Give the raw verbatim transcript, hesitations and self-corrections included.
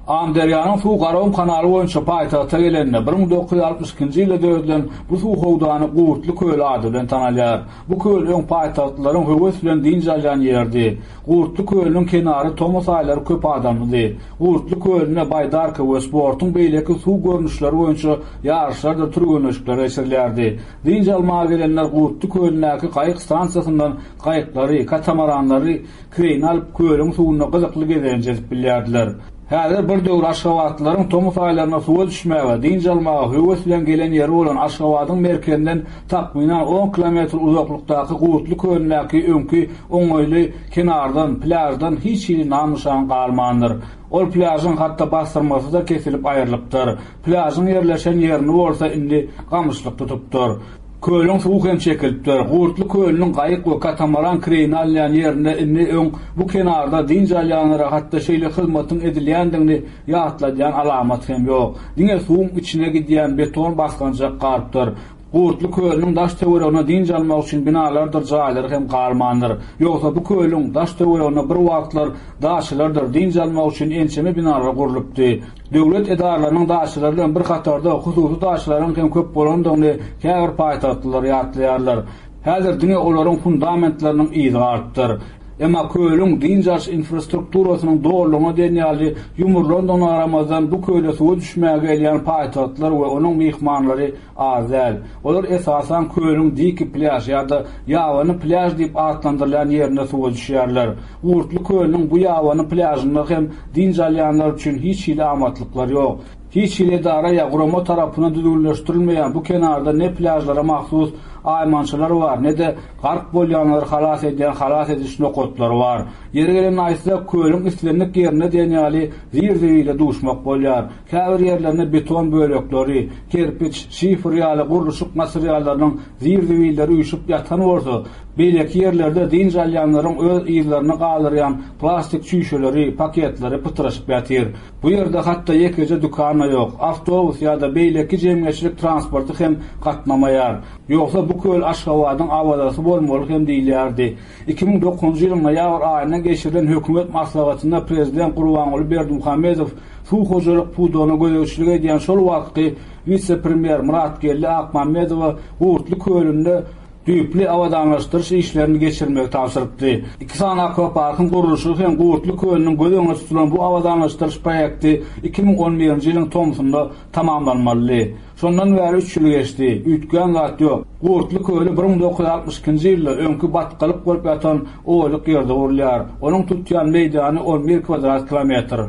Amyderýanyň suw Garagum kanaly boýunça paýtagta gelende, bir müň dokuz ýüz altmyş ikinji ýylda döredilen bu suw howdany Gurtly köli ady bilen tanalýar. Bu köl öň paýtagtlylaryň höwes bilen dynç alýan ýeridi. Gurtly kölüniň kenary tomus aýlary köp adamlydy. Gurtly kölünde baýdarka we sportuň beýleki suw görnüşleri boýunça ýaryşlardyr türgenleşikler geçirilýärdi. Dynç almaga gelenler Gurtly kölündäki gaýyk stansiýasyndan gaýyklary, katamaranlary kireýine alyp, kölüň suwunda gyzykly gezelenç edip bilýärdiler. Häzir bir döwür aşgabatlylaryň tomus aýlarynda suwa düşmäge, dynç almaga höwes bilen gelen ýeri bolan Aşgabadyň merkezinden takmynan on kilometr uzaklykdaky Gurtly kölündäki öňki oňaýly kenardan, plýaždan hiç hili nam-nyşan galmandyr. Ol plýažyň hatda basdyrmasy-da kesilip aýrylypdyr. Plýažyň ýerleşen ýerini bolsa indi gamyşlyk tutupdyr. Kölüň suwy hem çekilipdir. Gurtly kölüniň gaýyk we katamaran kireýine alynýan ýerinde indi öň bu kenarda dynç alýanlara hatda şeýle hyzmatyň edilýändigini ýatladýan alamat hem ýok. Diňe suwuň içine gidýän beton basgançak galypdyr. Gurtly kölüniň daş töweregine dynç almak üçin binalardyr jaýlar hem galmandyr. Ýogsa bu kölüň daş töweregine bir wagtlar daşylardyr dynç almak üçin ençeme binalar gurlupdy. Döwlet edaralarynyň daşylary bilen bir hatarda hususy daşylaryň hem köp bolandygyny käbir paýtagtlylar ýatlaýarlar. Häzir diňe olaryň fundamentleriniň yzy galypdyr. Emma kölüň dynç alyş infrastrukturasynyň dolulygyna diýen ýaly ýumrulandygyna garamazdan bu köle suwa düşmäge gelýän paýtagtlar we onuň myhmanlary az däl. Olar esasan kölüň diki plýaž ýa-da ýabany plýaž diýip atlandyrylýan ýerinde suwa düşýärler. Gurtly kölüniň bu ýabany plýažynda hem dynç alýanlar üçin hiç hili amatlyklar ýok. Hiç hili edara ýa gurama tarapyndan düzgünleşdirilmeýän bu kenarda ne plýažlara mahsus aýmançylar bar, ne-de gark bolýanlary halas edýän halas ediş nokatlary bar. Ýeri gelen aýtsak, kölüň islendik ýerinde diýen ýaly zir-zibile duşmak bolýar. Käbir ýerlerinde beton bölekleri, kerpiç, şifr ýaly gurluşyk materiallarynyň zir-zibilleri üýşüp ýatan bolsa, beýleki ýerlerde dynç alýanlaryň öz yzlaryny galdyrýan plastik çüýşeleri, paketleri pytraşyp ýatyr. Bu ýerde hatda ýekeje dükan ýok, awtobus ýa-da beýleki jemgyýetçilik transporty hem gatnamaýar. Ýogsa bu köl Aşgabadyň awazasy bolmaly hem diýilýärdi. iki müň dokuzynjy ýylyň noýabr aýynda geçirilen hökümet maslahatynda prezident Gurbanguly Berdimuhamedow suw hojalyk pudagyna gözegçilik edýän şol wagtky wise-premýer Myratgeldi Akmammedowa Gurtly kölünde düýpli abadanlaşdyryş işlerini geçirmegi tabşyrypdy. Iki sany akwaparkyň gurluşygy hem Gurtly kölüniň göz öňünde tutulan bu abadanlaşdyryş proýekti iki müň on birinji ýylyň tomsunda tamamlanmalydy. Şondan bäri üç ýyl geçdi. Üýtgän zat ýok. Gurtly köli bir müň dokuz ýüz altmyş ikinji ýylda öňki batgalyk bolup ýatan oýluk ýerde gurulýar. Onuň tutýan meýdany on bir kvadrat kilometr.